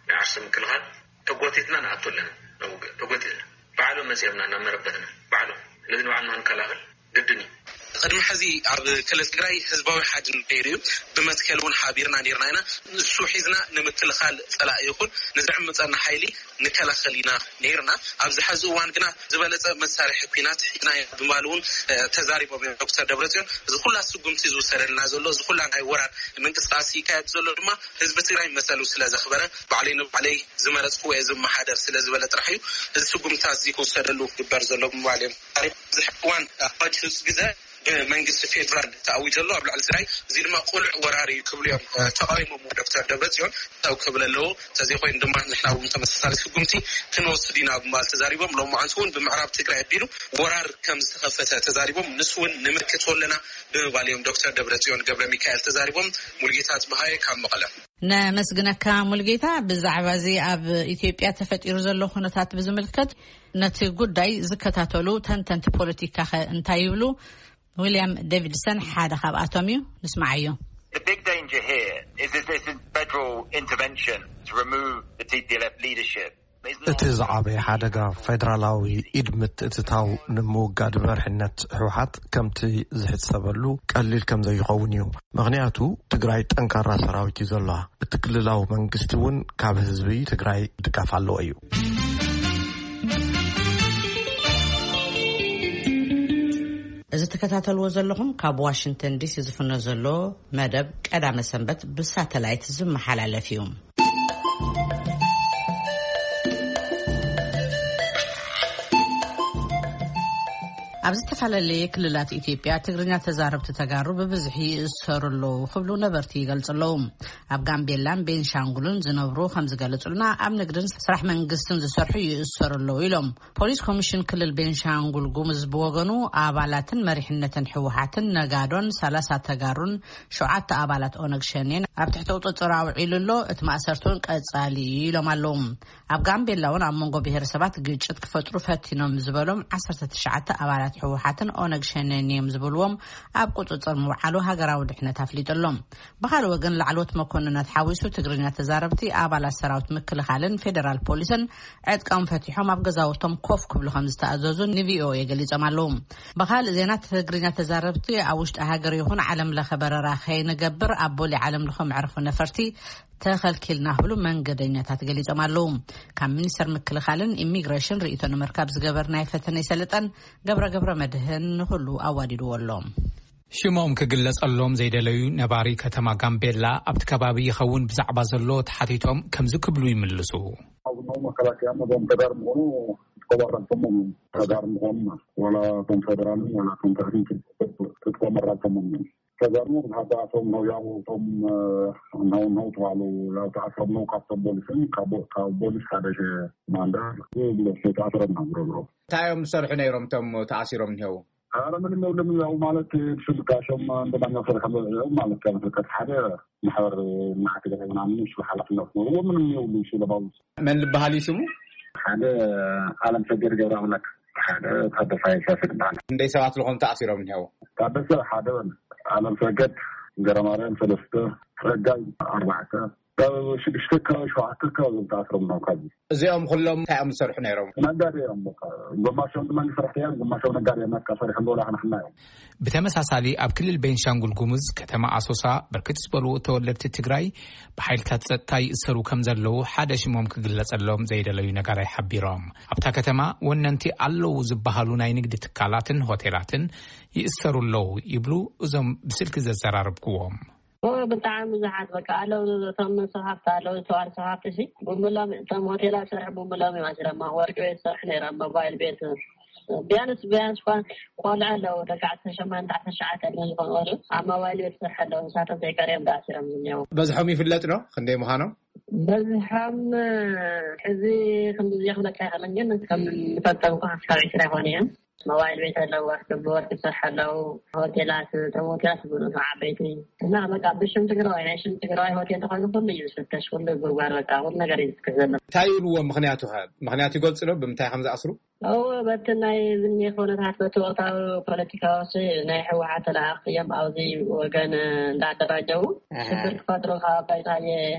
ናይ ዓርሱ ምክልኻል ተጎቲትና ንኣቱ ኣለና። ናብ ውግእ ተጎቲትና። ባዕሎም መፂኦምና ናብ መረበትና። ባዕሎም። ስለዚ ንባዕልና ክንከላኸል ግድን እዩ። ቅድሚ ሕዚ ኣብ ክልል ትግራይ ህዝባዊ ሓድነት ነይሩ እዩ። ብመትከል እውን ሓቢርና ነይርና ኢና። ንሱ ሒዝና ንምክልኻል ፀላኢ ይኹን ንዘዕምፀና ሓይሊ ንከላኸል ኢና ነይርና። ኣብዚ ሕዚ እዋን ግና ዝበለፀ መሳርሒ ኲናት ሒዝና ኢና ብምባል እውን፣ እ፣ ተዛሪቦም እዮም ዶክተር ደብረፅዮን። እዚ ኩላ ስጉምቲ ዝውሰደልና ዘሎ፣ እዚ ኩላ ናይ ወራር ምንቅስቃስ ይካየድ ዘሎ ድማ ህዝቢ ትግራይ መሰሉ ስለ ዘኽበረ፣ ባዕለይ ንባዕለይ ዝመረፅኩዎ እየ ዝመሓደር ስለ ዝበለ ጥራሕ እዩ እዚ ስጉምትታት እዚ ክውሰደሉ ክግበር ዘሎ ብምባል እዮም ተዛሪቦም። ኣብዚ ሕዚ እዋን ኣዋጅ ህፁፅ ግዘ ብመንግስቲ ፌዴራል ተኣዊጀ ኣሎ ኣብ ልዕሊ ትግራይ። እዚ ድማ ቁሉዕ ወራር እዩ ክብሉ እዮም ተቃዊሞም ዶክተር ደብረፅዮን። ታው ክብል ኣለዎ። ተዘይኮይኑ ድማ ንሕና እውን ተመሳሳሊ ስጉምቲ ክንወስድ ኢና ብምባል ተዛሪቦም። ሎማዓንቲ እውን ብምዕራብ ትግራይ ኣቢሉ ወራር ከም ዝተኸፈተ ተዛሪቦም። ንሱ እውን ንምክቶ ኣለና ብምባል እዮም ዶክተር ደብረፅዮን ገብረ ሚካኤል ተዛሪቦም። ሙልጌታ ጽብሃየ ካብ መቐለ። ነመስግነካ ሙልጌታ። ብዛዕባ እዚ ኣብ ኢትዮጵያ ተፈጢሩ ዘሎ ኩነታት ብዝምልከት ነቲ ጉዳይ ዝከታተሉ ተንተንቲ ፖለቲካ ከ እንታይ ይብሉ? ዊልያም ዴቪድሰን ሓደ ካብኣቶም እዩ። ንስማዓዮ። The big danger here is if this is federal intervention to remove the T P L F leadership. It's not እቲ ዝዓበየ ሓደጋ ፌደራላዊ ኢድ ምትእትታው ንምውጋድ መርሕነት ህወሓት ከምቲ ዝሕሰበሉ ቀሊል ከም ዘይኸውን እዩ። ምኽንያቱ ትግራይ ጠንካራ ሰራዊት እዩ ዘለዋ። እቲ ክልላዊ መንግስቲ እውን ካብ ህዝቢ ትግራይ ድጋፍ ኣለዎ እዩ። እዚ ትከታተልዎ ዘለኹም ካብ ዋሽንግተን ዲሲ ዝፍኖ ዘሎ መደብ ቀዳመ ሰንበት ብሳተላይት ዝመሓላለፍ እዩ። ኣብ ዝተፈላለየ ክልላት ኢትዮጵያ ትግርኛ ተዛረብቲ ተጋሩ ብብዝሒ ይእሰሩ ኣለዉ ክብሉ ነበርቲ ይገልጹ ኣለዉ። ኣብ ጋምቤላን ቤንሻንጉልን ዝነብሩ ከም ዝገለጹልና፣ ኣብ ንግድን ስራሕ መንግስትን ዝሰርሑ ይእሰሩ ኣለዉ ኢሎም። ፖሊስ ኮሚሽን ክልል ቤንሻንጉል ጉሙዝ ብወገኑ፣ ኣባላትን መሪሕነትን ህወሓትን ነጋዶን ሰላሳ ተጋሩን ሸውዓተ ኣባላት ኦነግ ሸኔን ኣብ ትሕቲ ቁጽጽር ኣውዒሉ ኣሎ። እቲ ማእሰርቲውን ቀጻሊ እዩ ኢሎም ኣለዉ። ኣብ ጋምቤላ እውን ኣብ መንጎ ብሄረሰባት ግጭት ክፈጥሩ ፈቲኖም ዝበሎም ዓሰርተ ትሽዓተ ኣባላት ህወሓትን ኦነግ ሸኔን እዮም ዝብልዎም ኣብ ቁጽጽር ምውዓሉ ሃገራዊ ድሕነት ኣፍሊጡ ኣሎ። ብኻልእ ወገን፣ ላዕለዎት መኮንናት ሓዊሱ ትግርኛ ተዛረብቲ ኣባላት ሰራዊት ምክልኻልን ፌደራል ፖሊስን ዕጥቆም ፈቲሖም ኣብ ገዛውቶም ኮፍ ክብሉ ከም ዝተኣዘዙ ንቪኦኤ ገሊጾም ኣለዉ። ብኻልእ ዜና፣ ትግርኛ ተዛረብቲ ኣብ ውሽጢ ሃገር ይኹን ዓለም ለኸ በረራ ከይንገብር ኣብ ቦሌ ዓለም ለኸ መዕርፎ ነፈርቲ ተኸልኪልና ክብሉ መንገደኛታት ገሊጾም ኣለዉ። ካብ ሚኒስተር ምክልኻልን ኢሚግሬሽን ርእይቶ ንምርካብ ዝገበርናዮ ፈተነ ይሰልጠን። ገብረ ገብረ መድህን ንኹሉ ኣዋዲድዎ ኣሎ። ሽሞም ክግለጸሎም ዘይደለዩ ነባሪ ከተማ ጋምቤላ፣ ኣብቲ ከባቢ ይኸውን ብዛዕባ ዘሎ ተሓቲቶም ከምዚ ክብሉ ይምልሱ። ኣብ ነው መከላከያ መዞም ተጋር ምኾኑ ትቆባረር ሰሞም ተጋር ምኾኑ ማለት ዋላ ቶም ፌደራልን ዋላ ቶም ተህሪክ ትቆመራ ሰሞም ተጋሩ ብሓዳቶም ነው ያው ቶም ነው ነው ተባሉ። ያው ተኣስሮም ነው ካብ ቶም ቦሊስን ካብ ካብ ቦሊስ ሓደ ማንዳ ተኣስሮም ነው ብሮ ብሮ። እንታይ እዮም ዝሰርሑ ነይሮም እቶም ተኣሲሮም እኒሄው? ኧረ ምንም የብልም። ያው ማለት ብስም ጋሾም እንደማኛው ሰርሕ ማለት ከም ፍልቀት ሓደ ማሕበር ማዕት ገለ ምናምን እሱ ሓላፍነት ነው ምንም የብሉ እሱ ለባሉ። መን ዝበሃል እዩ ስሙ? ሓደ ኣለም ሰገድ ገብረ ኣምላክ፣ ሓደ ታደሳይ ሰፍ ይበሃል። እንደይ ሰባት ልኾም ተኣሲሮም እኒሄው? ታደሰ ሓደ በል፣ ኣለም ሰገድ፣ ገረማርያም ሰለስተ፣ ረጋይ ኣርባዕተ፣ ሽዱሽተ ከባቢ ሸውዓተ ከባቢ ተኣስሮም ነው። ካብ እዚኦም ኩሎም እንታይ እዮም ዝሰርሑ ነይሮም? ነጋዴ እዮም። በቃ ግማሾም ድማ ሰራሕተኛ፣ ግማሾም ነጋዴ እዮም። በቃ ሰሪሖም በላ ክንሕና እዮም። ብተመሳሳሊ ኣብ ክልል ቤንሻንጉል ጉሙዝ ከተማ ኣሶሳ ብርክት ዝበሉ ተወለድቲ ትግራይ ብሓይልታት ጸጥታ ይእሰሩ ከም ዘለዉ ሓደ ሽሞም ክግለጸሎም ዘይደለዩ ነጋዳይ ሓቢሮም። ኣብታ ከተማ ወነንቲ ኣለዉ ዝበሃሉ ናይ ንግዲ ትካላትን ሆቴላትን ይእሰሩ ኣለዉ ይብሉ እዞም ብስልኪ ዘዘራረብክዎም። ብጣዕሚ ብዙሓት በቃ ኣለዉ። እቶም ሰብ ሃፍቲ ኣለዉ፣ ዝተዋር ሰብ ሃፍቲ ሲ ብሙሎም እቶም ሆቴላት ስራሕ ብሙሎም እዮም ኣሲሮም። ወርቂ ቤት ስራሕ ነይሮም፣ ሞባይል ቤት ቢያንስ ቢያንስ እኳ ቆልዑ ኣለዉ፣ ደቂ ዓሰርተ ሸሞንተ ዓሰርተ ትሽዓተ ዕድመ ዝኾኑ ቆልዑ ኣብ ሞባይል ቤት ስራሕ ኣለዉ። ንሳቶም ዘይቀርዮም ዳኣሲሮም ዝኒአው። በዝሖም ይፍለጥ ዶ ክንደይ ምዃኖም? በዝሖም ሕዚ ክንዲ ዝኽለካ ይኽእልን፣ ግን ከም ንፈልጦም እኳ ካብ ዕስራ ይኾኑ እዮም። ሞባይል ቤት ኣለዉ፣ ወርቂ ብወርቂ ስራሕ ኣለዉ፣ ሆቴላት፣ እቶም ሆቴላት ዝብሉ እቶም ዓበይቲ እና በቃ ብሽም ትግራዋይ፣ ናይ ሽም ትግራዋይ ሆቴል ተኾይኑ ኩሉ እዩ ዝፍተሽ፣ ኩሉ ጉርጓር በቃ ኩሉ ነገር እዩ ዝፍተሽ ዘሎ። እንታይ ይብልዎ ምኽንያቱ ኸ? ምኽንያት ይገልጽ ዶ ብምንታይ ከም ዝኣስሩ? እዎ፣ በቲ ናይ ዝኒ ኩነታት በቲ ወቕታዊ ፖለቲካዊ ሲ ናይ ህወሓት ተለኣኽቲ እዮም ኣብዚ ወገን እንዳደራጀው ሽግር ክፈጥሩ ካብ ኣባይ ፃየ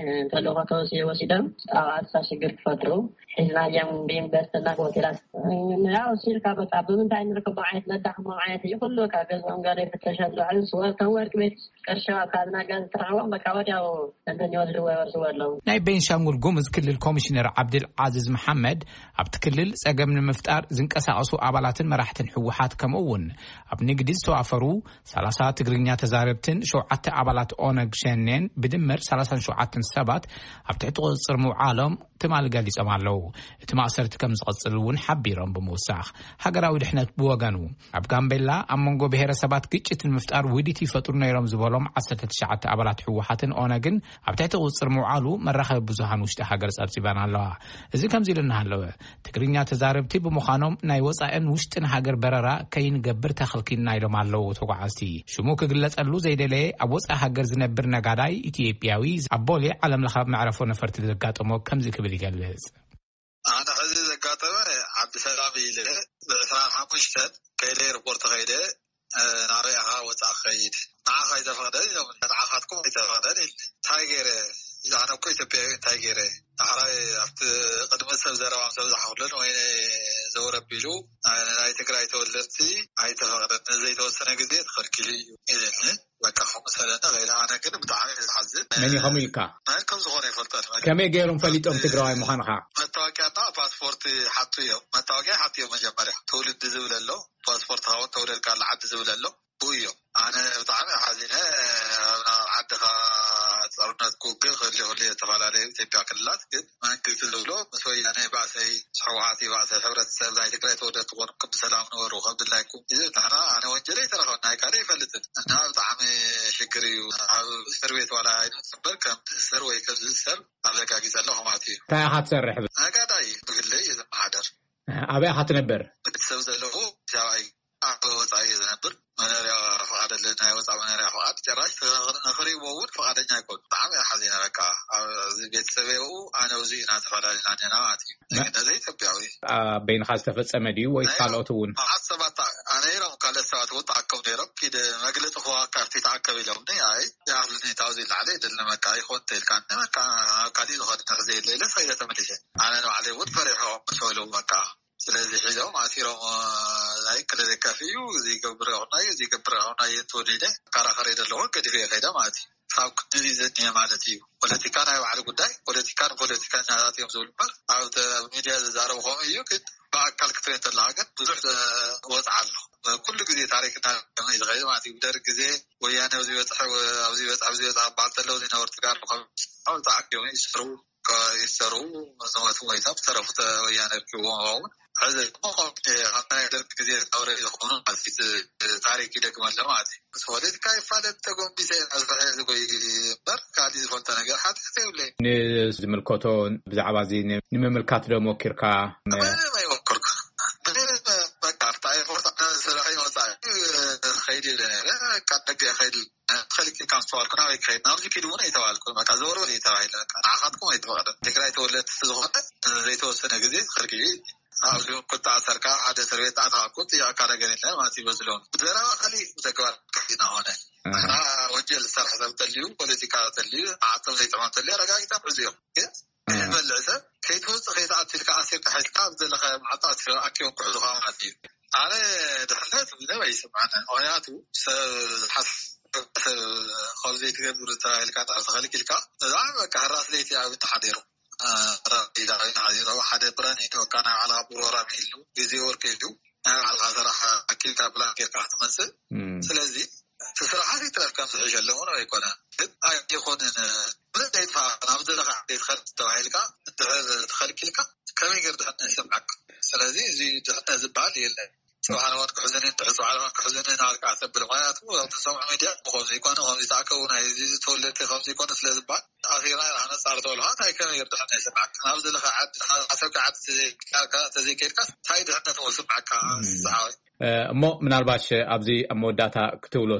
ተልእኾ ተወሲ ወሲዶም ኣብ ኣሳ ሽግር ክፈጥሩ ሒዝናዮም ብዩኒቨርሲቲና ብሆቴላት ያው ሲልካ በቃ ብምንታይ ንርከቦ ዓይነት ነዳኽሞ ዓይነት እዩ ኩሉ ካብ ገዝኦም ገለ ይፍተሸሉ ሕዚ ወርተን ወርቂ ቤት ቅርሻ ካብ ናጋ ዝተረኸቦም በቃ ወዲያው እንትን ይወስድዎ ይወስድዎ ኣለዉ። ናይ ቤንሻንጉል ጉሙዝ ክልል ኮሚሽነር ዓብድል ዓዚዝ መሓመድ ኣብቲ ክልል ጸገም ንምፍጣር ዝንቀሳቐሱ ኣባላትን መራሕትን ህወሓት ከምኡ እውን ኣብ ንግዲ ዝተዋፈሩ ሰላሳ ትግርኛ ተዛረብትን ሸውዓተ ኣባላት ኦነግ ሸኔን ብድምር ሰላሳን ሸውዓተን ሰባት ኣብ ትሕቲ ቁፅፅር ምውዓሎም ትማሊ ገሊጾም ኣለዉ። እቲ ማእሰርቲ ከም ዝቐጽል እውን ሓቢሮም ብምውሳኽ ሃገራዊ ድሕነት ነት ብወገኑ፣ ኣብ ጋምቤላ ኣብ መንጎ ብሄረሰባት ግጭት ንምፍጣር ውዲት ይፈጥሩ ነይሮም ዝበሎም ዓሰርተ ትሽዓተ ኣባላት ህወሓትን ኦነግን ኣብ ትሕቲ ቁፅፅር ምውዓሉ መራኸቢ ብዙሃን ውሽጢ ሃገር ጸብጺበን ኣለዋ። እዚ ከምዚ ኢሉ እናሃለወ፣ ትግርኛ ተዛረብቲ ብምዃኖም ናይ ወጻእን ውሽጥን ሃገር በረራ ከይንገብር ተኸልኪልና ኢሎም ኣለዉ ተጓዓዝቲ። ሽሙ ክግለጸሉ ዘይደለየ ኣብ ወጻኢ ሃገር ዝነብር ነጋዳይ ኢትዮጵያዊ ኣብ ቦሌ ዓለም ለኸ መዕረፎ ነፈርቲ ዘጋጠሞ ከምዚ ክብል ይገልጽ። ኣነ ሕዚ ዘጋጠመ ዓዲ ሰላም ኢለ ብዕስራን ሓሙሽተን ከይደ ኤርፖርት ከይደ፣ ናበይ ኢኻ ወፃእ ከይድ? ንዓኻ ኣይተፈቕደን ኢሎም፣ ንዓኻትኩም ኣይተፈቕደን ኢል። እንታይ ገይረ? ኣነ እኮ ኢትዮጵያዊ እንታይ ገይረ? ዳሕራይ ኣብቲ ቅድሚ ሰብ ዘረባ ምስ ኣብዝሓ ኩለን ወይ ዘውረብ ኢሉ፣ ናይ ትግራይ ተወለድቲ ኣይተፈቕደን፣ ንዘይተወሰነ ግዜ ተኸልኪሉ እዩ ኢለኒ። በቃ ከምኡ ሰለና ከይደ። ኣነ ግን ብጣዕሚ እየ ዝሓዝን። መን እዩ ከምኡ ኢልካ? መን ከም ዝኾነ ይፈልጠን። ከመይ ገይሮም ፈሊጦም ትግራዋይ ምዃንኻ? መታወቂያና ፓስፖርት ሓቱ እዮም። መታወቂያ ሓቱ እዮም መጀመርያ። ትውልዲ ዝብል ኣሎ፣ ፓስፖርት ኻውን ተወለድካሉ ዓዲ ዝብል ኣሎ። ብኡ እዮም። ኣነ ብጣዕሚ ሓዚነ። ኣብ ዓድኻ ጦርነት ክውግእ ክህሉ ይኽእል እዩ፣ ዝተፈላለዩ ኢትዮጵያ ክልላት። ግን መንግስቲ ዝብሎ ምስ ወያነ ባእሰይ፣ ምስ ህወሓት ይባእሰ፣ ሕብረተሰብ ናይ ትግራይ ተወለድቲ ኮንኩም ብሰላም ንበሩ ከም ድላይኩም እዩ። ንሕና ኣነ ወንጀለይ ኣይተረኸብን፣ ናይ ካልእ ኣይፈልጥን። እና ብጣዕሚ ሽግር እዩ። ኣብ እስር ቤት ዋላ ኣይንወጽእ እምበር ከም ትእሰር ወይ ከም ዝእሰር ኣረጋጊጸ ኣለኹ ማለት እዩ። እንታይ ኢኻ ትሰርሕ? ነጋዳይ ብግለይ እየ ዝመሓደር። ኣበይ ኢኻ ትነብር? ቤተሰብ ዘለኹ ኣዲስ ኣበባ እዩ። ኣብ ወጻኢ እየ ዝነብር። መኖርያ ፍቓድ ኣለኒ፣ ናይ ወጻኢ መኖርያ ፍቓድ። ጭራሽ ንኽሪእዎ እውን ፍቓደኛ ኣይኮኑ። ብጣዕሚ እየ ሓዚነ። በቃ ኣብዚ ቤተሰበይ ኣብኡ፣ ኣነ ኣብዚ ኢና ተፈላለና ኣለና ማለት እዩ። ዜግነተይ ኢትዮጵያዊ። ኣብ በይንኻ ዝተፈጸመ ድዩ ወይስ ናይ ካልኦት እውን? መዓት ሰባት ተኣ-፣ ነይሮም፣ ካልኦት ሰባት እውን ተኣከቡ ነይሮም። ኪድ መግለጺ ክወሃብ ካብቲ ተኣከብ ኢሎምኒ። ኣይ፣ ይኣኽለኒ፣ ካብዚ ላዕሊ ኣይደልን፣ በቃ ኣይኮን ተይልካ፣ በቃ ኣብ ካሊእ ዝኸድ ንሕዘ የለ ኢለ ሰይደ ተመሊሰ። ኣነ ንባዕለይ እውን ፈሪሖም ምስ በሉ በቃ ስለዚ ሒዞም ኣሲሮም፣ እ፣ ኣይክለ ደጋፊ እዩ፣ እዚ ይገብር ይኹናዩ፣ እዚ ይገብር ይኹናዩ፣ እንተወሊደ ከራኸረ ዘለኹ ገዲፈ ከይደ ማለት እዩ። ካብ ክንዲ እዚ ዘድንየ ማለት እዩ። ፖለቲካ ናይ ባዕሉ ጉዳይ፣ ፖለቲካ ንፖለቲከኛታት እዮም ዝብሉ እምበር፣ ኣብ ተ-፣ ኣብ ሚድያ ዝዛረቡ ከምኡ እዩ፣ ግን ብኣካል ክትሪኦ እንተለኻ ግን ብዙሕ፣ እ፣ ወፅዓ ኣሎ። ኩሉ ግዜ ታሪክና ከመይ ዝኸይድ ማለት እዩ። ብደርግ ግዜ ወያነ ኣብዚ በፅሐ፣ ኣብዚ በፅሐ፣ ኣብዚ በፅሐ በዓል ተለው ዝነበሩ ተጋሩ ካብ ተኣኪቦም ይስርቡ። ይሰሩ፣ ዝሞቱ ሞይቶም፣ ዝተረፉ ተ-፣ ወያነ ርኪብዎም ይኸውን። ሕዚ ድማ ከምቲ ኣብቲ ናይ ደርግ ግዜ ዝነበረ ዝኾኑ ማለት እዩ። ታሪክ ይደግም ኣሎ ማለት እዩ። ምስ ፖለቲካ ይፋለጥ ተጎንቢሰ ኢና ዝፈ-፣ ዝጎይ እምበር፣ ካሊእ ዝፈልጦ ነገር ሓጢኣት የብለይን። ንዝምልከቶ ብዛዕባ እዚ ን-፣ ንምምልካት ዶ ሞኪርካ? ምንም ኣይሞከርኩ። ምንም በቃ፣ ኣብታ ኤርፖርት ኣነ ስራሕ ይወፃ፣ ከይድ ኢለ ነይረ። በቃ፣ ደገ ከይድ ተኸልኪልካ ምስ ተባልኩ፣ ናበይ ክኸይድ? ናብዚ ኪድ እውን ኣይተባልኩን። በቃ፣ ዘወርወር እዩ ተባሂለ። በቃ፣ ንዓኻትኩም ኣይተፈቕደን። ትግራይ ተወለድቲ ዝኾነ ዘይተወሰነ ግዜ ተኸልኪሉ። ኣብዚ እውን ክተኣሰርካ፣ ሓደ እስር ቤት ተኣትኻ እኮ ጥያቄ ነገር የለን ማለት እዩ። በዚ ሎሚ ብዘረባ ካሊእ፣ ብተግባር ካሊእ እናኾነ። ኣሃ። ንሕና ወንጀል ዝሰርሐ ሰብ ተልዩ፣ ፖለቲካ ተልዩ፣ መዓልቶም ዘይጥዕሞም ተልዩ፣ ኣረጋጊጾም ሒዙ እዮም። ግን ኣሃ። ዝበልዕ ሰብ ከይትወፅእ ከይትኣቱ ኢልካ ኣሲርካ ሒዝካ፣ ኣብ ዘለኻዮ መዓልቲ ኣሲሮም ኣኪቦም ክሕዙኻ ማለት እዩ። ኣነ ድሕነት ምንም ኣይስምዓንን። ምኽንያቱ ሰብ ዝሓስብ ሰብ ከምዚ ትገብር ተባሂልካ እንድሕር ተኸልኪልካ፣ እዛ በቃ ህራስ ለይቲ ኣብ እንዳ ሓዲሩ፣ እ፣ ራቢዳ ወይ ንሓዲሩ ሓደ ፕላን ይእትወካ፣ ናይ ባዕልኻ ፕሮግራም ይህሉ፣ ግዜ ወርቂ እዩ። ናይ ባዕልኻ ስራሕ ኣኪልካ ፕላን ጌርካ ክትመጽእ። እም። ስለዚ እቲ ስራሓት ይትረፍ ከም ዝሕሸለ እውን ኣይኮነን። ግን ኣይኮንን፣ ምንም ዘይጥፋ ናብ ዘለኻ ዘይትኸድ ተባሂልካ እንድሕር ተኸልኪልካ ከመይ ገይሩ ድሕነት ይስምዓካ? ስለዚ እዚ ድሕነት ዝበሃል የለን። ጽባሕ ንዋት ክሕዝኒ፣ እንድሕር ጽባሕ ንዋት ክሕዝኒ እናበልካ ተብል። ምኽንያቱ ኣብ ትሰምዖ ሚድያ ብኸምዚ ይኮነ፣ ከምዚ ተኣከቡ፣ ናይ እዚ ተወለድቲ ከምዚ ይኮነ ስለ ዝበሃል፣ ኣሲርና ኢና ነጻሪ ተበልካ፣ እንታይ ከመይ ገይሩ ድሕነት ይስምዓካ? ናብ ዘለኻ ዓዲ፣ ሓሰብካ ዓዲ ተዘይከድካ፣ ተዘይከድካ፣ እንታይ ድሕነት ይስምዓካ? እም። ዝሓወይ። እ፣ እሞ ምናልባሽ ኣብዚ ኣብ መወዳእታ ክትብሎ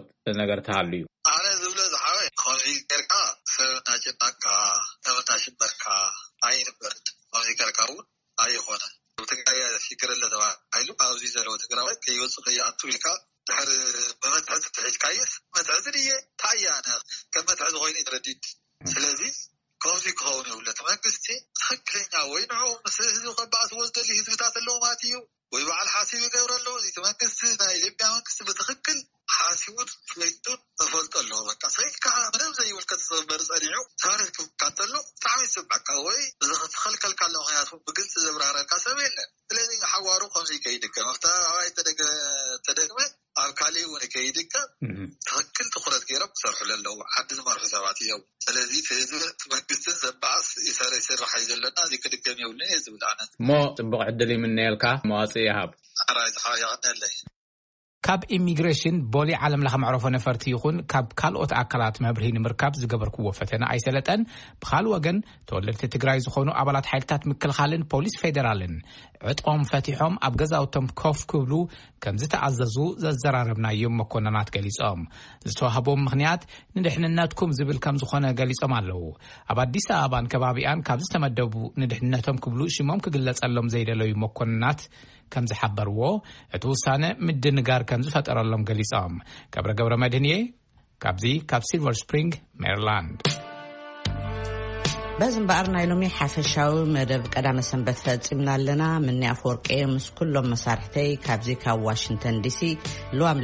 ነገር ተሃልዩ? ኣነ ዝብሎ ዝሓወይ፣ ከምዚ ጌርካ ሰብ እናጨነቕካ፣ ሰብ እናሽበርካ ኣይንበርን። ከምዚ ጌርካ እውን ኣይኾነን። ኣብ ትግራይ ሽግር ኣሎ ተባሂሉ፣ ኣብዚ ዘለዎ ትግራዋይ ከይወፅእ ከይኣቱ ኢልካ ድሕር ብመትሐዚ ተሒዝካየስ፣ መትሐዚ ድየ? እንታይ እየ ኣነ? ከም መትሐዚ ኮይኑ እዩ ተረዲድ። እም። ስለዚ ከምዚ ክኸውን የብሉ። እቲ መንግስቲ ትኽክለኛ ወይ ንዕኡ ምስ ህዝቢ ከባእስዎ ዝደሊ ህዝብታት ኣለዎ ማለት እዩ። ወይ በዓል ሓሲብ ይገብረሉ። እዚ መንግስቲ፣ ናይ ኢትዮጵያ መንግስቲ ብትኽክል ሓሲቡን ፈሊጡን ተፈልጦ ኣለዎ። በቃ፣ ሰይድካ ምንም ዘይምልከት ዝኽበር ጸኒሑ ታሪኽ ክካተሎ ብጣዕሚ ይስምዓካ። ወይ ዝኸ-፣ ዝኸልከልካ ኣሎ፣ ምኽንያቱ ብግልጺ ዘብራህረልካ ሰብ የለን። ስለዚ ሓዋሩ ከምዚ ከይድገም፣ ኣብታ ኣባይ ተደገ-፣ ተደግመ ኣብ ካሊእ እውን ከይድገም እህ። ትኽክል ትኹረት ገይሮም ክሰርሑ ኣለዎ። ዓዲ ዝመርሑ ሰባት እዮም። ስለዚ እቲ ህዝቢ፣ እቲ መንግስትን ዘባእስ ይሰር-፣ ይስራሕ እዩ ዘለና፣ እዚ ክድገም የብሉን እየ ዝብል ኣነ። እሞ ጽቡቕ ዕድል ይምነየልካ፣ መዋጽእ ይሃብ። ኣራይ ዝሓ የቐንየለይ። ካብ ኢሚግሬሽን ቦሌ ዓለም ለኸ መዕረፎ ነፈርቲ ይኹን ካብ ካልኦት ኣካላት መብርሂ ንምርካብ ዝገበርክዎ ፈተና ኣይሰለጠን። ብኻልእ ወገን፣ ተወለድቲ ትግራይ ዝኾኑ ኣባላት ሓይልታት ምክልኻልን ፖሊስ ፌዴራልን ዕጥቆም ፈቲሖም ኣብ ገዛውቶም ኮፍ ክብሉ ከም ዝተኣዘዙ ዘዘራረብናዮም መኮንናት ገሊጾም። ዝተዋህቦም ምኽንያት ንድሕንነትኩም ዝብል ከም ዝኾነ ገሊጾም ኣለዉ። ኣብ ኣዲስ ኣበባን ከባቢኣን ካብ ዝተመደቡ ንድሕንነቶም ክብሉ ሽሞም ክግለጸሎም ዘይደለዩ መኮንናት ከም ዝሓበርዎ፣ እቲ ውሳነ ምድንጋር ከም ዝፈጠረሎም ገሊጾም። ገብረ ገብረ መድህን እየ፣ ካብዚ ካብ ሲልቨር ስፕሪንግ ሜሪላንድ። በዚ እምበኣር ናይ ሎሚ ሓፈሻዊ መደብ ቀዳመ ሰንበት ፈጺምና ኣለና። ምኒ ኣፈወርቂ ምስ ኩሎም መሳርሕተይ ካብዚ ካብ ዋሽንግተን ዲሲ ልዋም